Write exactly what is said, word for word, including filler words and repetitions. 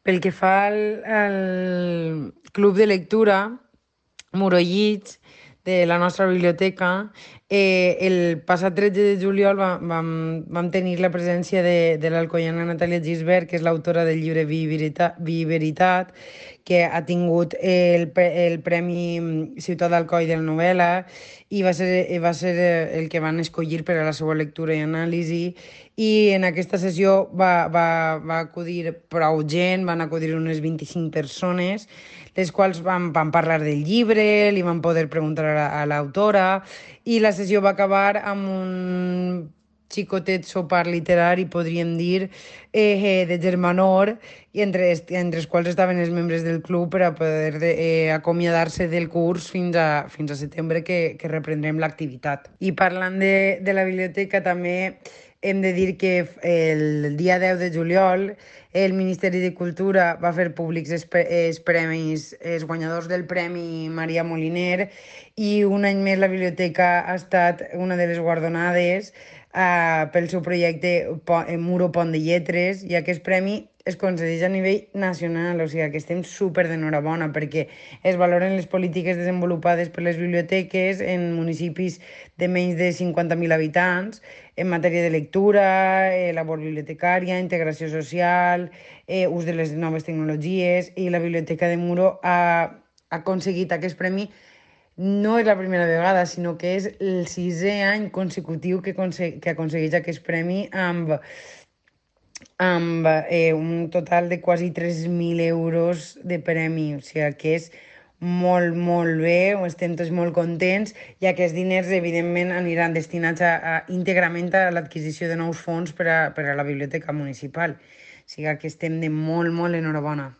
Pel que fa al, al club de lectura, Morollits, de la nostra biblioteca, eh, el passat tretze de juliol va, vam, vam tenir la presència de, de l'alcoiana Natàlia Gisbert, que és l'autora del llibre Vi i Veritat, Vi i Veritat, que ha tingut el, pre- el Premi Ciutat d'Alcoi de la novel·la i va ser, i va ser eh, el que van escollir per a la seva lectura i anàlisi. I en aquesta sessió va, va, va acudir prou gent, van acudir unes vint-i-cinc persones, les quals van, van parlar del llibre, li van poder preguntar a, a l'autora, i la sessió va acabar amb un xicotet sopar literari, podríem dir, eh, eh, de germanor, i entre, entre els quals estaven els membres del club per a poder de, eh, acomiadar-se del curs fins a, fins a setembre, que, que reprendrem l'activitat. I parlant de, de la biblioteca, també hem de dir que el dia deu de juliol el Ministeri de Cultura va fer públics els, els premis, els guanyadors del Premi Maria Moliner, i un any més la biblioteca ha estat una de les guardonades uh, pel seu projecte Muro Pont de Lletres, i aquest premi es concedeix a nivell nacional, o sigui que estem súper d'enhorabona perquè es valoren les polítiques desenvolupades per les biblioteques en municipis de menys de cinquanta mil habitants en matèria de lectura, eh, labor bibliotecària, integració social, eh, ús de les noves tecnologies, i la Biblioteca de Muro ha, ha aconseguit aquest premi. No és la primera vegada, sinó que és el sisè any consecutiu que, que aconsegueix aquest premi amb amb eh, un total de quasi tres mil euros de premi, o sigui que és molt, molt bé, estem tots molt contents, i aquests diners, evidentment, aniran destinats a, a, íntegrament a l'adquisició de nous fons per a, per a la biblioteca municipal. O sigui que estem de molt, molt enhorabona.